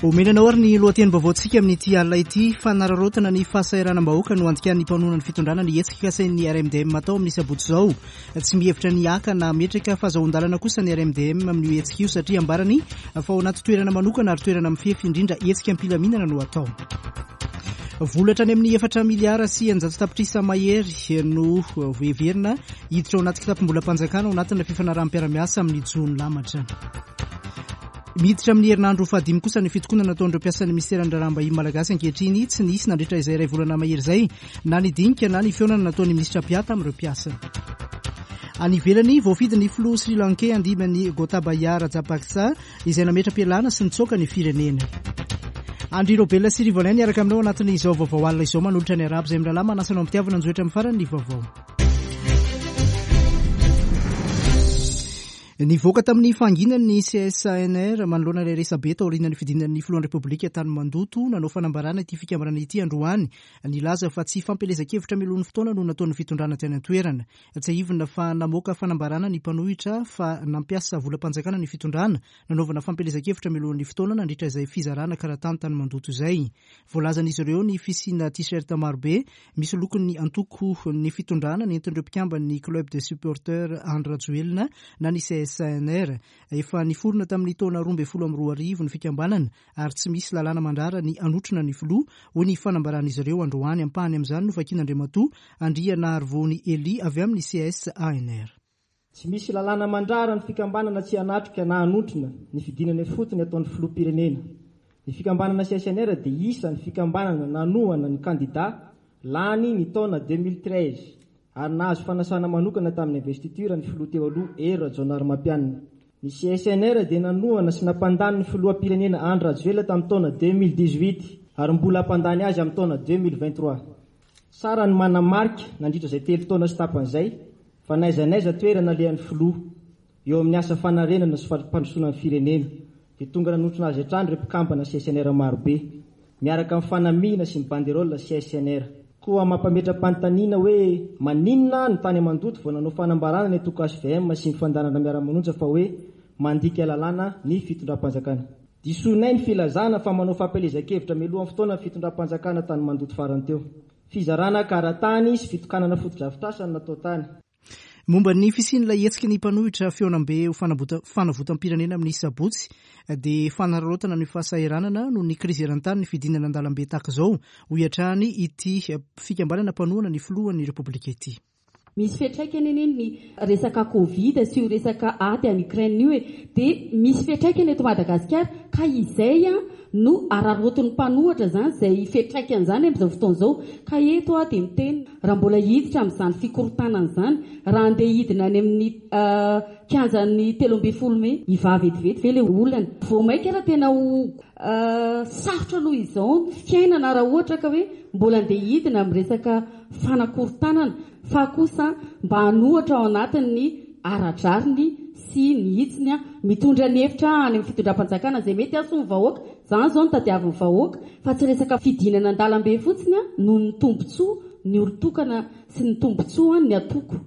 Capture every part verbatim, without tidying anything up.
Omena anao ary ny lohatenim-baovaontsika amin'ity alina ity. Fanararaotana ny fahasahiranam-bahoaka no andikan'ny mpanohana ny fitondrana ny hetsika kasain'ny R M D M atao amin'ny sabotsy izao. Tsy mihevitra ny haka na hametraka fahazoan-dalana kosa ny R M D M amin'io hetsika io, satria ambarany fa ao anaty toerana manokana ary toerana mifefy, indrindra hetsika am-pilaminana no atao. Vola hatrany amin'ny efatra miliara sy eninjato tapitrisa mahery no heverina hiditra ao anaty kitapom-bolam-panjakana ao anatina fifanaraham-piarahamiasa amin'ny jono lamatra. Miditra amin'ny herinandro fahadimy kosa ny fitokonana nataon'ireo mpiasan'ny ministeran'ny raharaham-bahiny malagasy ankehitriny. Tsy nisy nandritra izay iray volana mahery izay na ny dinika na ny fihaonana nataon'ny ministra mpiahy amin'ireo mpiasa. Any ivelany, voafidy ny filoha sri lankais handimby an'i Gotabaya Rajapaksa izay nametra-pialana sy nitsoaka ny firenena. Andry Robela sy Rivolin niaraka aminao anatin'izao vaovao alina izao, manolotra ny arabo izay mirahalahy manasa anao am-pitiavana anjoetra amin'ny farany ny vaovao. Nivoaka tamin'ny fahanginany ny C S A N R manoloana ilay resabe taorian'ny fidinan'ny filohan'ny Repoblika tany Mandoto. Nanao fanambarana ity fikambanana ity androany, nilaza fa tsy fampielezan-kevitra mialohan'ny fotoana no nataon'ny fitondrana tany an-toerana. Tsiahivina fa namoaka fanambarana ny mpanohitra fa nampiasa volam-panjakana ny fitondrana nanaovana fampielezan-kevitra mialohan'ny fotoana nandritra izay fizarana karatany tany Mandoto izay. Voalazan'izy ireo ny fisiana t-shirt marobe misy lokon'ny antoko ny fitondrana nentin'ireo mpikamban'ny Club de supporters Andry Rajoelina na ny C S A N R. Efa niforona tamin'ny taona roa ambin'ny folo amby roa arivo ny fikambanana ary tsy misy lalàna mandrara ny hanotrona ny filoha, hoy ny fanambaran'izy ireo androany. Ampahany amin'izany no vakin'Andriamatoa Andrianarivony Eli avy amin'ny C S A N R. Tsy misy lalàna mandrara ny fikambanana tsy hanatrika na hanotrona ny fidinana ifotony ataon'ny filoham-pirenena. Ny fikambanana C S N R dia isan'ny fikambanana nanohana ny kandida lany ny taona deux mille treize ary nahazo fanasana manokana tamin'ny investiture ny filoha teo aloha Hery Rajaonarimampianina. Ny C S N R dia nanohana sy nampandany ny filoham-pirenena Andry Rajoelina tamin'ny taona deux mille dix-huit ary mbola hampandany azy amin'ny taona deux mille vingt-trois. Tsara ny manamarika nandritra izay telo taona sy tapan'izay fa n'aiza n'aiza toerana alehan'ny filoha eo amin'ny asa fanarenana sy fampandrosoana ny firenena dia tonga nanotrona azy hatrany ireo mpikambana C S N R marobe miaraka amin'ny fanamiana sy ny banderole C S N R. Koa mampametra-panontaniana hoe maninona ny tany Mandoto vao nanao fanambarana ny antoko H V M sy ny fandaharana miara-manonja fa hoe mandika lalàna ny fitondram-panjakana. Disoinay ny filazana fa manao fampielezan-kevitra mialohan'ny fotoana ny fitondram-panjakana tany Mandoto farany teo. Fizarana karatany sy fitokanana fotodrafitrasa no natao tany. Momba ny fisian'ilay hetsika ny mpanohitra fihaonambe ho fanavotam-pirenena amin'ny sabotsy, dia fanararaotana ny fahasahiranana noho ny krizy eran-tany ny fidinana an-dalambe tahaka izao, hoy hatrany ity fikambanana mpanohana ny filohan'ny Repoblika ity. Misy fiantraikany eny ny resaka Covid sy io resaka ady any Ukraine io e, dia misy fiantraikany eto Madagasikara, ka izay a no araraotin'ny mpanohitra zany izay fiantraikany zany amin'izao fotoana izao. Ka eto a dia miteny raha mbola hiditra amin'izany fikorontanana izany, raha andeha hidina any amin'ny kianjan'ny telo ambin'ny folo mey, hivaha vetivety ve le olana? Vao mainka raha tena ho sarotra noho izao ny fiainana raha ohatra ka hoe mbola andeha hidina amin'ny resaka fanakorontanana, fa kosa mba hanohitra ao anatin'ny ara-drariny sy ny hitsiny a mitondra ny hevitra any amin'ny fitondram-panjakana izay mety hahasoa ny vahoaka. Zany zao no tadiavin'ny vahoaka, fa tsy resaka fidinana an-dalambe fotsiny a noho ny tombontsoa ny olon-tokana sy ny tombontsoa ny antoko.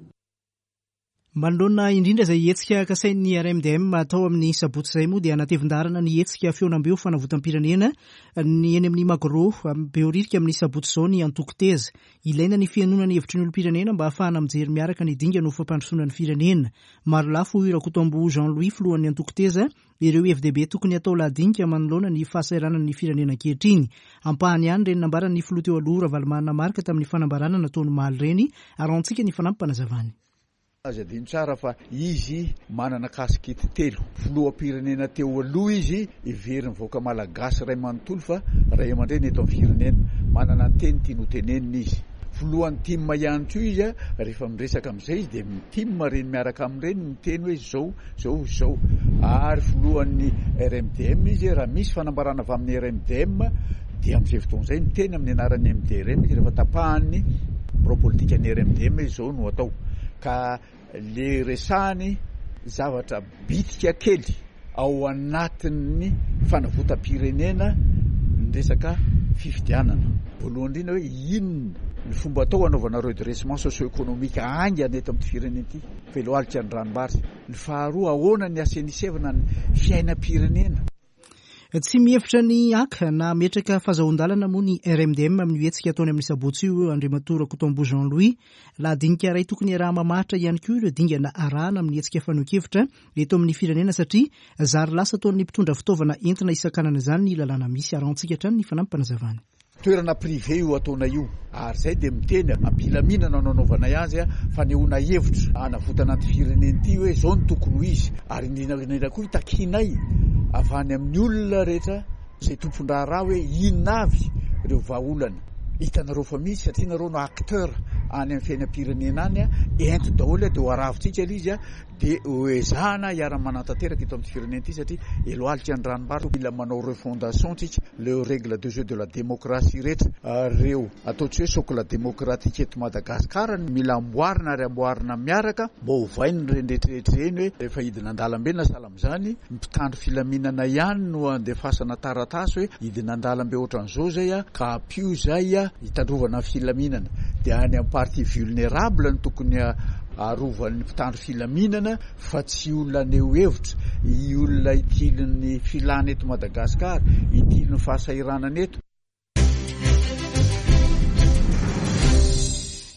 Manoloana indrindra izay hetsika kasain'ny R M D M atao amin'ny sabotsy izay moa, dia anatevin-daharana ny hetsika fihaonambe ho fanavotam-pirenena ny eny amin'ny Magro Behoririka amin'ny sabotsy izao ny antoko Teza. Ilaina ny fihainoana ny hevitry ny olom-pirenena mba ahafahana mijery miaraka ny dingana ho fampandrosoana ny firenena. Marolafo, hoy Rakotombo Jean Louis, filohan'ny antoko Teza, ireo hevi-dehibe tokony atao lahadinika manoloana ny fahasahiranan'ny firenena ankehitriny. Ampahany ihany ireny nambaran'ny filoha teo aloha Ravalomanana Marc tamin'ny fanambarana nataony omaly ireny, ary antsika ny fanampim-panazavany. Aza adino tsara fa izy manana kasikety telo. Filoham-pirenena teo aloha izy, heverin'ny vahoaka malagasy ray manontolo fa ray aman-dreny eto amin'ny firenena. Manana ny teny tiany ho tenenina izy. Filohan'ny TIM ihany koa izy, rehefa miresaka amin'izay izy dia TIM reny miaraka amin'ireny miteny hoe zao zao zao. Ary filohan'ny R M D M izy, raha misy fanambarana avy amin'ny R M D M dia amin'izay fotoana izay miteny amin'ny anaran'ny M D R M izy, rehefa tapahan'ny birao politika ny R M D M izao no atao. Ka le resahany zavatra bitika kely ao anatin'ny fanavotam-pirenena ny resaka fifidianana. Voalohany indrindra hoe inona ny fomba atao anaovana redressement socio-économique haingana eto amin'ity firenena ity, veloalika ny ranombary. Ny faharoa, ahoana ny asainisevana ny fiainam-pirenena. Tsy mihevitra ny haka na hametraka fahazoan-dalana moa ny R M D M amin'io hetsika ataony amin'ny sabotsy io, Andriamatoa Rakotoamboa Jean Louis. Lahadinika iray tokony iaraha-mamaritra ihany koa ireo dingana arahana amin'ny hetsika fanehoan-kevitra eto amin'ny firenena satria zary lasa ataon'ny mpitondra fitaovana entina hisakanana izany ny lalàna misy. Arahantsika hatrany ny fanampim-panazavana. Toerana privé io ataonay io, ary izay dia miteny ampilaminana no anaovanay azy, fanehoana hevitra hanavotana an'ity firenena ity hoe izao no tokony ho izy, ary indrindra indrindra koa hitakianay avy any amin'ny olona rehetra izay tompon-draharaha hoe inona avy ireo vahaolana hitanareo fa misy, satria nareo no acteur any amin'ny fiainam-pirenena any, ento daholo dia ho aravintsika ilay izy, dia ho ezahana hiara-manatanteraka eto amin'ny firenena ity, satria eloalika ny ranombary, mila manao refondation tsika, le règle de jeu de la démocratie rehetra ireo atao tsy hoe socle démocratique eto Madagasikara mila amboarina ary amboarina miaraka mba hovainy ny rehetrarehetra ireny hoe rehefa hidina an-dalambe na sahala amin'izany mpitandro filaminana ihany no andefasana taratasy hoe hidina an-dalambe ohatran'izao zay a, ka ampio zay a hitandrovana filaminana, dia any amin'ny partie vulnérable no tokony arovan'ny mpitandro filaminana fa tsy olona haneho hevitra, olona itilin'ny filana eto Madagasikara, itilin'ny fahasahiranana eto.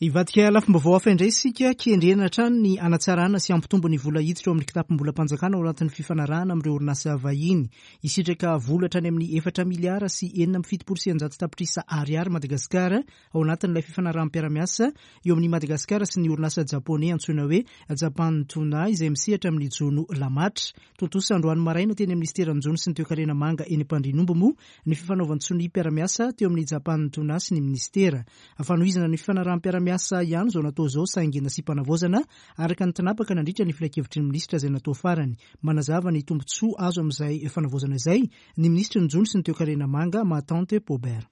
Hivadika lafim-baovao hafa indray isika, kendrena hatrany ny hanatsarana sy hampitombo ny vola hiditra ao amin'ny kitapom-bolam-panjakana ao anatin'ny fifanarahana amin'ireo orinasa vahiny. Hisitraka vola hatrany amin'ny efatra miliara sy enina amby fitopolo sy eninjato tapitrisa ariary Madagasikara ao anatin'ilay fifanaraham-piarahamiasa eo amin'ny Madagasikara sy ny orinasa japoney antsoina hoe Japan Tuna izay misehatra amin'ny jono lamatra. Tontosa androany maraina teny amin'ny minisiteran'ny jono sy ny toekarena manga eny Ampandrianomby moa ny fifanaovan-tsoniam-piarahamiasa teo amin'ny Japan Tuna sy ny minisitera. Fanohizana ny fifanaraham-piarahamiasa ihany izao natao izao saingy nasiam-panavaozana araka ny tinapaka nandritra ny filankevitry ny minisitra izay natao farany. Manazava ny tombontsoa azo amin'izay fanavaozana izay ny minisitry ny jono sy ny toekarena manga Mahatante Paubert.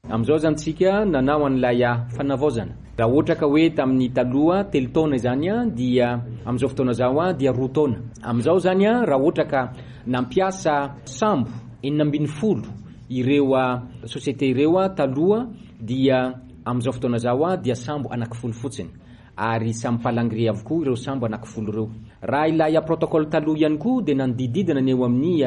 Amin'izao zany tsika nanao an'ilay fanavaozana. Raha ohatra ka hoe tamin'ny taloha telo taona izany dia amin'izao fotoana izao dia roa taona. Amin'izao zany raha ohatra ka nampiasa sambo enina ambin'ny folo ireo société ireo taloha dia amin'izao fotoana izao dia sambo anankifolo fotsiny, ary samy palangre avokoa ireo sambo anankifolo ireo. Raha ilay protocole taloha ihany koa dia nanodididina ny eo amin'ny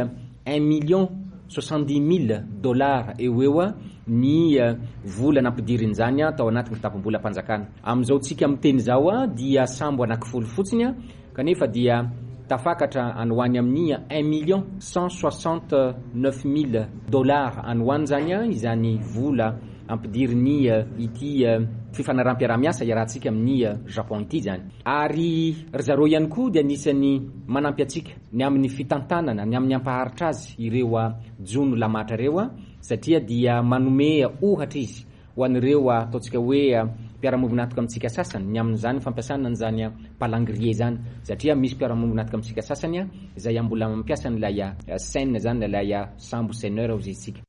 un million soixante-dix mille dollars eo eo ny vola nampidirin'izany tao anatin'ny kitapom-bolam-panjakana. Amin'izao tsika miteny izao dia sambo anankifolo fotsiny, kanefa dia tafakatra any ho any amin'ny un million cent soixante-neuf mille dollars any ho any zany izany vola ampidiriny ity fifanaraham-piarahamiasa iarahantsika amin'ny Japon ity zany. Ary ry zareo ihany koa dia anisan'ny manampy antsika ny amin'ny fitantanana, ny amin'ny ampaharitra azy ireo jono lamatra ireo, satria dia manome ohatra izy ho an'ireo ataontsika hoe mpiara-miombon'antoka amintsika sasany ny amin'izany fampiasana an'izany palangrier zany, satria misy mpiara-miombon'antoka amintsika sasany izay mbola mampiasa an'ilay Seine zany, ilay sambo seineur hoy isika.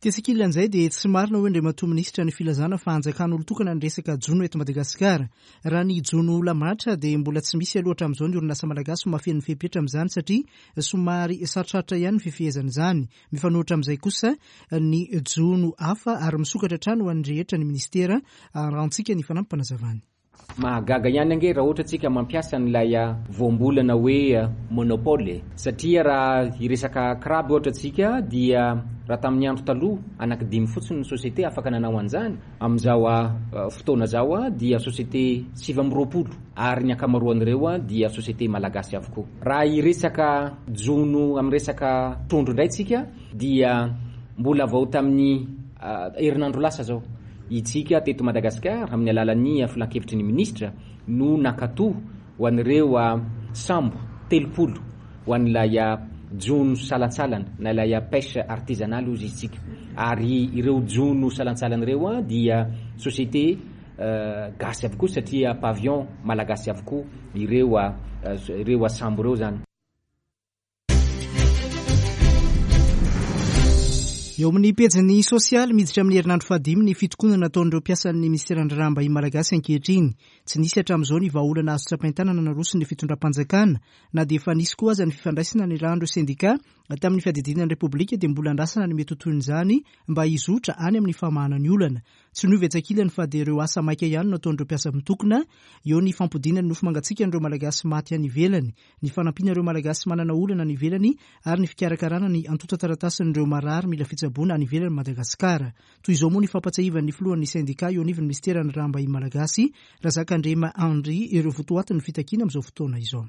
Tetsy ankilan'izay dia tsy marina hoe Andriamatoa minisitra ny filazana fa hanjakan'olon-tokana ny resaka jono eto Madagasikara. Raha ny jono lamatra dia mbola tsy misy aloha hatramin'izao ny orinasa malagasy mahafeno ny fepetra amin'izany satria somary sarotrarotra ihany ny fifehezana izany. Mifanohitra amin'izay kosa ny jono hafa ary misokatra hatrany ho an'ny rehetra ny ministera. Arahantsika ny fanampim-panazavany. Mahagaga ihany ange raha ohatra tsika mampiasa an'ilay voambolana hoe monopole, satria raha hiresaka crabe ohatra tsika dia raha tamin'ny andro taloha anankidimy fotsiny ny société afaka nanao an'izany. Amin'izao fotoana izao dia société sivy amby roapolo ary ny ankamaroan'ireo dia société malagasy avokoa. Raha hiresaka jono amin'ny resaka trondro indray tsika dia mbola vao tamin'ny herinandro lasa zao itsika teto Madagasikara amin'ny alalan'ny filankevitry ny minisitra no nakato ho an'ireo sambo telopolo ho an'ilay jono salantsalana na ilay pêche artisanale hoy isika. Ary ireo jono salantsalana ireo dia société gasy avokoa satria pavillon malagasy avokoa ireo ireo sambo ireo zany. Eo amin'ny pejiny sosialy, miditra amin'ny herinandro fahadimy ny fitokonana nataon'ireo mpiasan'ny minisiteran'ny Raharaham-bahiny malagasy ankehitriny. Tsy nisy hatramin'izao ny vahaolana azo tsapain-tanana naroson'ny fitondram-panjakana, na dia efa nisy koa aza ny fifandraisana niarahan'ireo sendika tamin'ny fiadidiana ny Repoblika, dia mbola andrasana ny mety ho tohin'izany mba hizotra any amin'ny famahana ny olana. Tsy niova etsy ankilany fa dia ireo asa maika ihany no ataon'ireo mpiasa mitokona. Eo ny fampodiana ny nofo mangatsiakan'ireo Malagasy maty any ivelany, ny fanampiana ireo Malagasy manana olana any ivelany ary ny fikarakarana ny antontan-taratasin'ireo marary mila fitsaboana any ivelan'i Madagasikara. Toy izao moa ny fampatsiahivan'ny filohan'ny sendika eo anivon'ny minisiteran'ny Raharaham-bahiny malagasy, Razakandrema Henri, ireo votoatin'ny fitakiana amin'izao fotoana izao.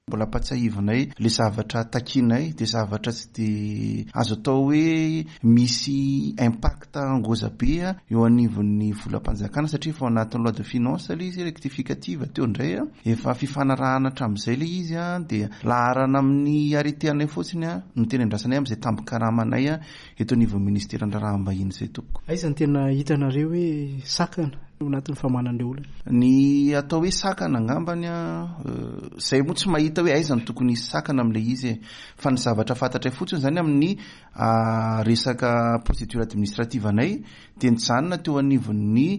Mbola ampatsiahivinay le zavatra takinay dia zavatra tsy dia azo atao hoe misy impact ngoza be eo anivon'ny volam-panjakana, satria efa ao anatin'ny loi de finance le izy rectificative teo indray, efa fifanarahana hatramin'izay le izy, dia laharana amin'ny arrêté anay fotsiny no tena andrasanay amin'izay tambin-karamanay eto anivon'ny minisiteran'ny Raharaham-bahiny izay tompoko. Aiza no tena hitanareo hoe sakana ao anatin'ny famahana an'ilay olana? Ny atao hoe sakana angambany, izay moa tsy mahita hoe aiza no tokony hisy sakana amin'ilay izy e. Fa ny zavatra fantatray fotsiny zany amin'ny resaka procédure administrative anay dia nijanona teo anivon'ny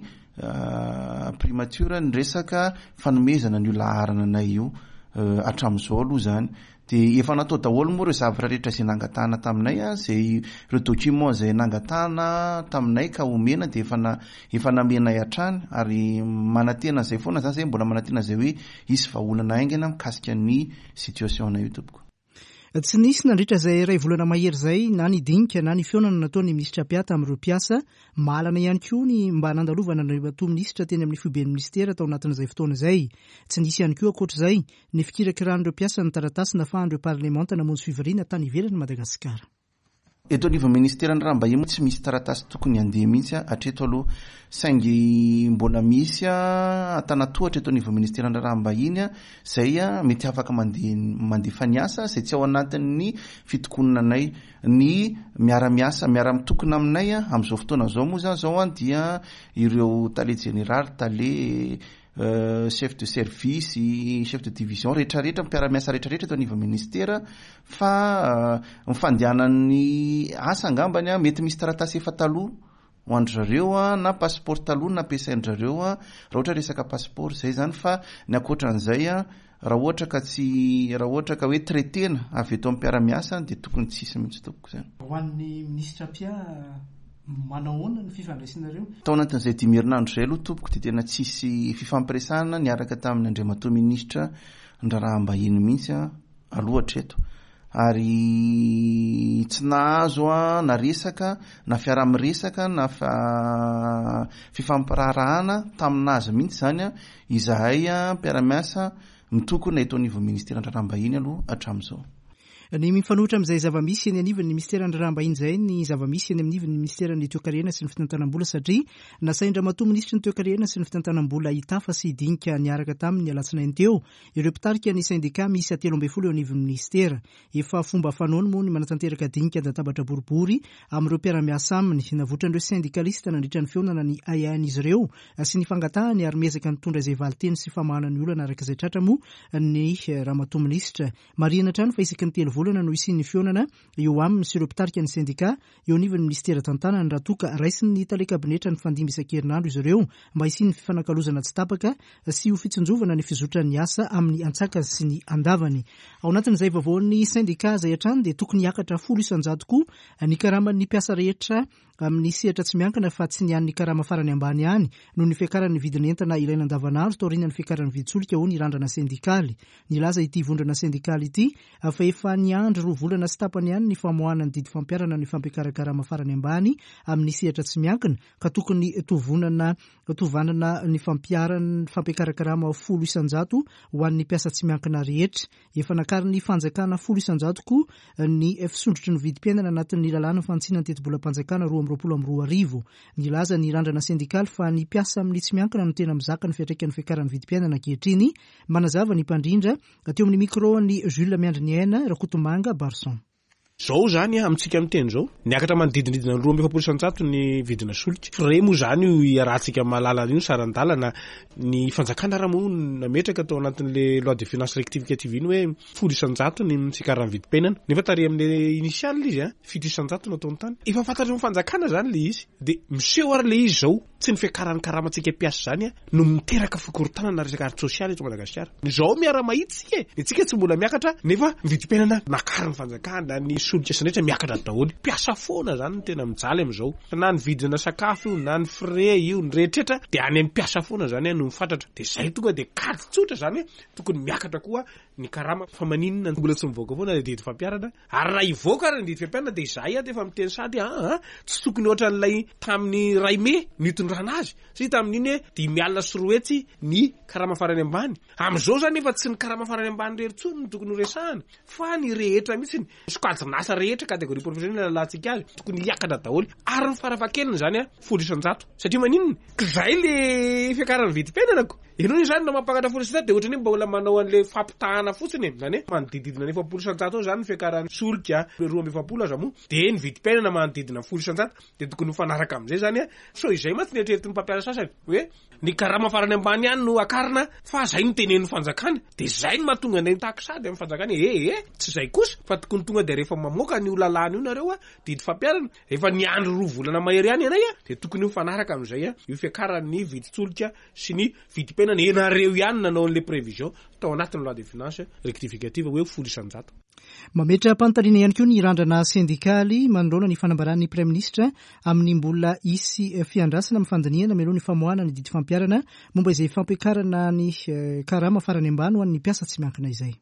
primature ny resaka fanomezana an'io laharana anay io hatramin'izao aloha zany. Dia efa natao daholo moa ireo zavatra rehetra izay nangatahana taminay, izay ireo document izay nangatahana taminay ka omena dia efa na, efa namenay hatrany, ary manantena izay foana zany, zay mbola manantena izay hoe hisy vahaolana haingana mikasika ny situation anay io tompoko. Tsy nisy nandritra izay iray volana mahery izay na ny dinika na ny fihaonana nataon'ny minisitra mpiata amin'ireo mpiasa. Mahalana ihany koa ny mba nandalovana an'Andriamatoa minisitra teny amin'ny foiben'ny minisitera tao anatin'izay fotoana izay. Tsy nisy ihany koa ankoatr'izay ny fikirakiran'ireo mpiasa ny taratasy nafahan'ireo parlemanta namonjy fivoriana tany ivelan'i Madagasikara. Eto anivon'ny minisiteran'ny Raharaham-bahiny moa tsy misy taratasy tokony handeha mihitsy hatreto aloha, saingy mbola misy antanatohatra eto anivon'ny minisiteran'ny Raharaham-bahiny izay mety afaka mandeha, mandefa ny asa izay tsy ao anatin'ny fitokonana anay. Ny miara-miasa, miara-mitokona aminay amin'izao fotoana izao moa zany izao dia ireo tale jeneraly, tale, chef de service, chef de division rehetrarehetra, mpiara-miasa rehetrarehetra eto anivon'ny ministera, fa ny fandehanan'ny asa angambany mety misy taratasy efa taloha ho an-dry zareo na passeport taloha nampiasain-dry zareo, raha ohatra resaka passeport izay zany. Fa ny ankoatran'izay, raha ohatra ka tsy, raha ohatra ka hoe traitena avy eto amin'ny mpiara-miasa dia tokony tsy hisy mihitsy tompoko izany. Ho an'ny minisitra mpia, manao ahoana ny fifandraisanareo? Tao anatin'izay dimy herinandro izay aloha tompoko dia tena tsisy fifampiresahana niaraka tamin'ny Andriamatoa minisitra ny Raharaham-bahiny mihitsy aloha hatreto, ary tsy nahazo na resaka na fiaraha-miresaka na fifampiraharahana taminazy mihitsy zany izahay mpiara-miasa mitokona eto anivon'ny minisiteran'ny Raharaham-bahiny aloha hatramin'izao. Ny mifanohitra amin'izay zava-misy eny anivon'ny minisiteran'ny Raharaham-bahiny izay ny zava-misy eny anivon'ny minisiteran'ny Toekarena sy ny Fitantanam-bola, satria nasain-dRamatoa minisitry ny Toekarena sy ny Fitantanam-bola hitafa sy dinika niaraka tamin'ny alatsinainy teo ireo mpitarika ny sendika miisa telo ambin'ny folo eo anivon'ny minisitera. Efa fomba fanaony moa ny manatanteraka dinika an-databatra boribory amin'ireo mpiara-miasa aminy. Navotran'ireo sendikalista nandritra ny fihaonana ny ahiahin'izy ireo sy ny fangatahany, ary miezaka nitondra izay valinteny sy famahana ny olana araka izay tratra moa ny ramatoa minisitra. Marihina hatrany fa isaky ny telo volana no hisian'ny fihaonana eo aminy sy ireo mpitarika ny sendika eo anivon'ny minisitera tantanany, raha toa ka raisin'ny tale kabinetra ny fandimby isan-kerinandro izy ireo mba hisian'ny fifanakalozana tsy tapaka sy ho fitsinjovana ny fizotran'ny asa amin'ny antsakany sy ny andavany. Ao anatin'izay vaovaon'ny sendika izay hatrany dia tokony hiakatra folo isan-jato koa ny karaman'ny mpiasa rehetra amin'ny sehatra tsy miankina, fa tsy ny an'ny karama farany ambany ihany noho ny fiakaran'ny vidin'entana ilaina andavanandro taorian'ny fiakaran'ny vidin-tsolika, hoy ny randrana sendikaly. Nilaza ity vondrona sendikaly ity fa efa niandry roa volana sy tapany ihany ny famoahana ny didy fampiharana ny fampiakaran-karama farany ambany amin'ny sehatra tsy miankina, ka tokony tovonana, tovanana ny fampiharan-, fampiakaran-karama folo isan-jato ho an'ny mpiasa tsy miankina rehetra. Efa nakarin'ny fanjakana folo isan-jato koa ny fisondrotry ny vidim-piainana anatin'ny lalàna fanitsiana ny tetibolam-panjakana roa amby roapolo amby roa arivo. Nilaza ny randrana sendikaly fa ny mpiasa amin'ny tsy miankina no tena mizaka ny fiantraikan'ny fiakaran'ny vidim-piainana ankehitriny. Manazava ny mpandrindra teo amin'ny micro ny Jules Miandriniaina Rakotomanga Barson. Zao zany amintsika miteny zao, niakatra manodidinidina ny roa amby efapolo isan-jato ny vidina solika. Frais moa zany io iarahantsika mahalala io saran-dalana. Ny fanjakana raha moa nametraka tao anatin'le loi de finances rectificative iny hoe folo isan-jato ny fiakaran'ny vidim-piainana. Nefa tary amin'le initial izy a, fito isan-jato no ataony tany. Efa fantatry ny fanjakana zany le izy. De miseho ary le izy zao, tsy ny fiakaran'ny karamantsika mpiasa zany a no miteraka fikorontanana resaka ara-tsosialy eto Madagasikara. Zao miara-mahita isika e, ny antsika tsy mbola miakatra nefa ny vidim-piainana nakarin'ny fanjakana, ny solika sy ny rehetra miakatra daholo. Mpiasa foana zany no tena mijaly amin'izao. Na ny vidina sakafo io, na ny frais io, ny rehetrarehetra dia any amin'ny mpiasa foana zany no mifatratra. Dia zay tonga dia kajy tsotra zany hoe tokony miakatra koa ny karama. Fa maninona mbola tsy mivoaka foana ny didy fampiharana? Ary raha hivoaka ary ny didy fampiharana dia izahay ato efa miteny sady a, tsy tokony ohatran'ilay tamin'ny iray mey nitondrana azy. Satria tamin'iny hoe dimy alina sy roa hetsy ny karama farany ambany. Amin'izao zany efa tsy ny karama farany ambany irery intsony no tokony horesahana fa ny rehetra mihitsy, ny sokajin'asa rehetra, catégorie professionnelle lalantsika azy, tokony hiakatra daholo. Ary ny farafahakeliny zany a folo isan-jato. Satria maninona? Zay le fiakaran'ny vidim-piainana ko. Ianao zany no mampakatra folo isan-jato dia ohatran'ny hoe mbola manao an'le fampitahana fotsiny e. Zany hoe manodididina ny efapolo isan-jato eo zany ny fiakaran'ny solika, roa amby efapolo aza moa, dia ny vidim-piainana manodidina folo isan-jato, dia tokony mifanaraka amin'izay zany a. So izay mantsy ny eritreretin'ny mpampiasa sasany hoe ny karama farany ambany ihany no akarina fa zay no tenenin'ny fanjakana. Dia zay no mahatonga anay mitaky sady amin'ny fanjakana hoe eh, eh, tsy zay kosa fa tokony tonga dia rehefa mamoaka ny lalàna io nareo a, didy fampiharana, efa niandry roa volana mahery ihany ianay a, dia tokony mifanaraka amin'izay a io fiakaran'ny vidin-tsolika sy ny vidim-piainana. Ianareo ihany nanao an'le prévision tao anatin'ny loi de finances rectificative hoe folo isan-jato. Mametra-panontaniana ihany koa ny randrana sendikaly manoloana ny fanambaran'ny Praiminisitra amin'ny mbola hisy fiandrasana amin'ny fandinihana mialoha ny famoahana ny didy fampiharana momba izay fampiakarana ny karama farany ambany ho an'ny mpiasa tsy miankina izay.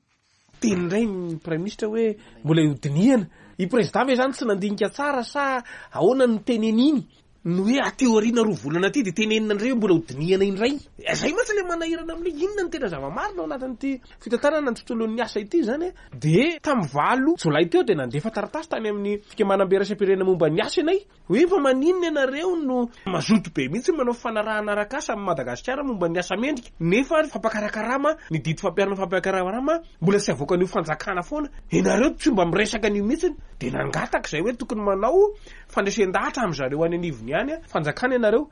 Teny indray ny Praiminisitra hoe mbola hodinihana. I président ve zany tsy nandinika tsara sa ahoana no teneniny? No hoe aty aoriana roa volana aty dia tenenina indray hoe mbola hodinihana indray. Zay mantsy le manahirana amin'ilay inona no tena zava-marina ao anatin'ity fitantanana ny tontolon'ny asa ity zany. Dia tamin'ny valo jolay teo dia nandefa taratasy tany amin'ny fikambanam-be iraisam-pirenena momba ny asa ianay hoe fa maninona ianareo no mazoto be mihitsy manao fanarahana arak'asa amin'ny Madagasikara momba ny asa mendrika, nefa fampakarakarama ny didy fampiharana fampakarakarama mbola tsy avoakan'io fanjakana foana, ianareo tsy mba miresaka an'io mihitsy. Dia nangataka izay hoe tokony manao fandresen-dahatra amin'zareo any anivony ihany fanjakana ianareo.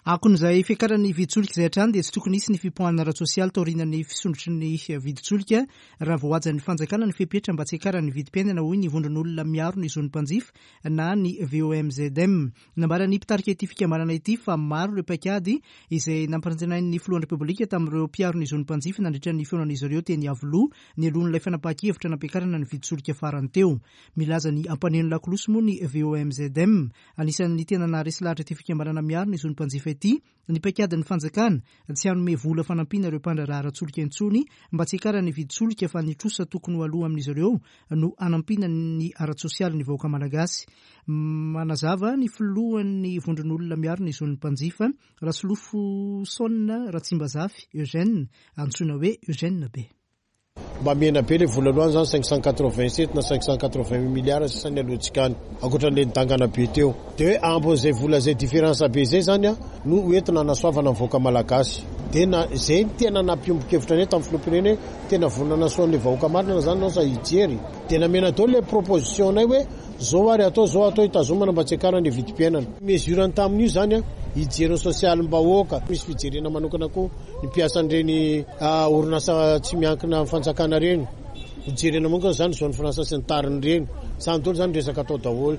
Akon'izay fiakaran'ny vidin-tsolika izay hatrany dia tsy tokony hisy ny fipoahana ara-tsosialy taorian'ny fisondrotry ny vidin-tsolika raha voahajan'ny fanjakana ny fepetra mba tsy hiakaran'ny vidim-piainana, hoy ny vondron'olona miaro ny zon'ny mpanjifa na ny V O M Z M. Nambaran'ny mpitarika ity fikambanana ity fa maro ireo paikady izay nampanantenain'ny filohan'ny Repoblika tamin'ireo mpiaro ny zon'ny mpanjifa nandritra ny fihaonan'izy ireo teny Iavoloha nialohan'ilay fanapahan-kevitra nampiakarana ny vidin-tsolika farany teo. Milaza ny ampaneno lakolosy moa ny V O M Z M. Anisan'ny tena naharesy lahatra ity fikambanana miaro ny zon'ny mpanjifa ity ny paikadin'ny fanjakana tsy hanome vola fanampiana ireo mpandraharaha ara-tsolika intsony mba tsy hiakaran'ny vidin-tsolika fa ny trosa tokony ho aloha amin'izy ireo no hanampiana ny ara-tsosialy ny vahoaka malagasy. Manazava ny filohan'ny vondron'olona miaro ny zon'ny mpanjifa Rasolofoson Ratsimbazafy Eugène, antsoina hoe Eugène Be. Mba mihena be le vola aloha zany cinq cent quatre-vingt-sept na cinq cent quatre-vingt-huit milliards sisa ny alohantsika any, ankoatran'le nidangana be teo. Dia hoe ambin'izay vola zay différence be zay zany a no hoentina hanasoavana ny vahoaka malagasy. Dia na zay ny tena nampiombon-kevitra anay tamin'ny filoham-pirenena hoe tena vonona hanasoa ny vahoaka marina zany ianao sa hijery. Dia namena daholo le proposition anay hoe zao ary atao, zao atao hitazomana mba tsy hiakarana ny vidim-piainana. Mesure ny tamin'io zany a, hijery ny sosialim-bahoaka. Misy fijerena manokana koa ny mpiasan'ireny, ah, orinasa tsy miankina amin'ny fanjakana ireny. Hijerena manokana zany zone franche sy ny tariny ireny. Zany daholo zany resaka atao daholo.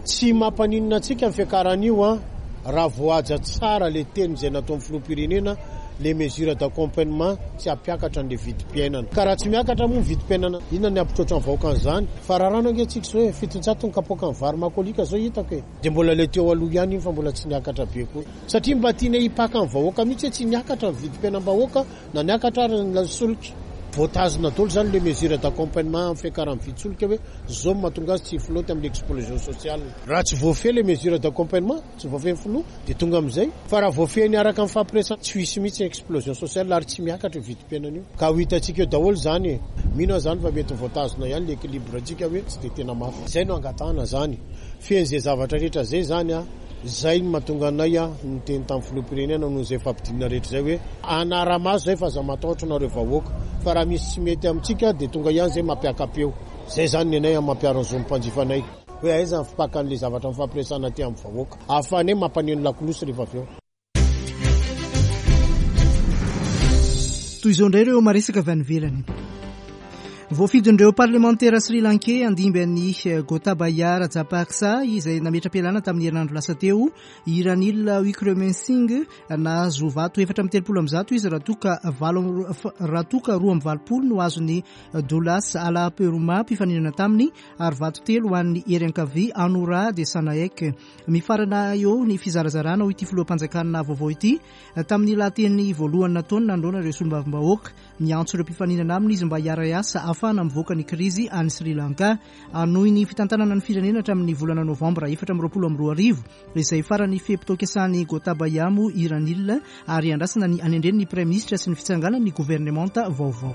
Tsy mampaninona antsika ny fiakaran'io a, raha voahaja tsara le teny izay nataon'ny filoham-pirenena, les mesures d'accompagnement tsy hampiakatra ny vidim-piainana. Ka raha tsy miakatra moa ny vidim-piainana, inona ny hampitroatra ny vahoaka an'izany? Fa raha rano ange tsika izao e, fitonjato ny kapoaka ny vary makolika izao hitako e. Dia mbola le teo aloha ihany iny fa mbola tsy niakatra be koa. Satria mba tiana hipaka ny vahoaka mihitsy hoe tsy niakatra ny vidim-piainam-bahoaka na niakatra ary ny solika. Voatazona daholo zany les mesures d'accompagnement amin'ny fiakaran'ny vidin-tsolika hoe zao no mahatonga azy tsy hiflotte amin'ny explosion sociale. Raha tsy voafehy les mesures d'accompagnement, tsy voafehy ny filoha, dia tonga amin'izay. Fa raha voafehy ny araka ny fampiresana, tsy ho hisy mihitsy explosion sociale ary tsy miakatra io vidim-piainana io. Ka ho hitantsika eo daholo zany e. Mino aho zany fa mety voatazona ihany l'équilibre antsika hoe tsy dia tena mafy. Izay no angatahana zany. Fehiny izay zavatra rehetra izay zany a, izay no mahatonga anay a niteny tamin'ny filoham-pirenena noho izay fampidinana rehetra izay hoe anara-maso izay fa aza matahotra nareo vahoaka. Fa raha misy tsy mety amintsika dia tonga ihany izay mampiaka-peo. Zay zany ny anay mampiaro ny zon'ny mpanjifa anay. Hoe aiza ny fipakan'le zavatra mifampiresahana aty amin'ny vahoaka. Ahafahanay mampaneno lakolosy rehefa avy eo. Toy izao indray ireo maresaka avy any ivelany. Voafidin'ireo parlemantera Sri Lankais handimby an'i Gotabaya Rajapaksa izay nametra-pialana tamin'ny herinandro lasa teo, i Ranil Wickremesinghe nahazo vato efatra amby telopolo amby zato izy raha toa ka valo raha toa ka roa amby valopolo no azon'ny Dullas Alahapperuma mpifaninana taminy ary vato telo ho an'ny hery ankavia Anura Dissanayake. Mifarana eo ny fizarazarana ho ity filoham-panjakana vaovao ity tamin'ny lahateny voalohany nataony nanoloana ireo solombavambahoaka. Niantso ireo mpifaninana aminy izy mba hiara-hiasa ahafahana mivoaka ny krizy any Sri Lanka. Hanohy ny fitantanana ny firenena hatramin'ny volana novambra efatra amby roapolo amby roa arivo izay farany fe-potoam-piasan'i Gotabaya moa i Ranil ary andrasana ny anendren'ny praiminisitra sy ny fitsanganan'ny governemanta vaovao.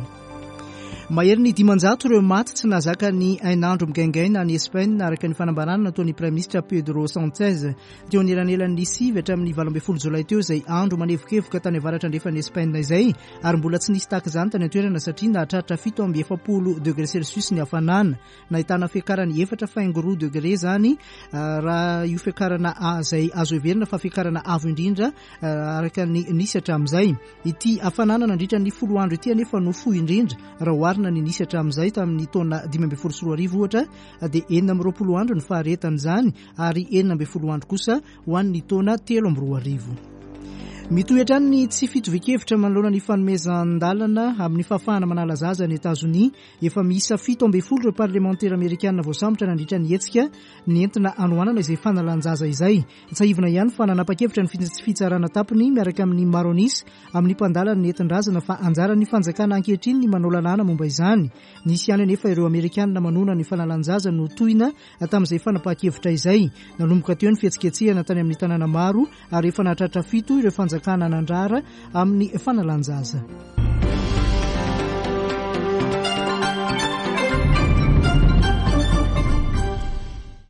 Mahery ny dimanjato ireo maty tsy nahazaka ny hainandro migaingaina any Espagne araka ny fanambarana nataon'ny praiminisitra Pedro Sanchez. Teo anelanelan'ny sivy hatramin'ny valo ambin'ny folo jolay teo izay andro manevokevoka tany avaratra andrefan'ny Espagne izay ary mbola tsy nisy tahaka izany tany an-toerana satria nahatratra fito amby efapolo degré Celsius ny hafanana. Nahitana fiakarany efatra faingo roa degré izany raha io fiakarana izay azo heverina fa fiakarana avo indrindra araka ny nisy hatramin'izay. Ity hafanana nandritra ny folo andro ity anefa no fohy indrindra raha oharina ny nisy hatramin'izay tamin'ny taona dimy ambin'ny folo sy roa arivo ohatra dia enina amby roapolo andro ny faharetan'izany ary enina ambin'ny folo andro kosa ho an'ny taona telo amby roa arivo. Mitohy hatrany ny tsy fitovian-kevitra manoloana ny fanomezan-dalana amin'ny fahafahana manala zaza any Etazonia. Efa miisa fito ambin'ny folo ireo parlemantera amerikana voasambotra nandritra ny hetsika nentina hanohanana izay fanalan-jaza izay. Tsiahivina ihany fa nanapa-kevitra ny fitsarana tampony miaraka amin'ny Maronis amin'ny mpandala ny nentin-drazana fa anjaran'ny fanjakana ankehitriny ny manao lalàna momba izany. Nisy ihany anefa ireo amerikana manohana ny fanalan-jaza no tohina tamin'izay fanapahan-kevitra izay. Nanomboka teo ny fihetsiketsehana tany amin'ny tanàna maro ary efa nahatratra fito ireo fanjakana nandrara amin'ny fanalan-jaza.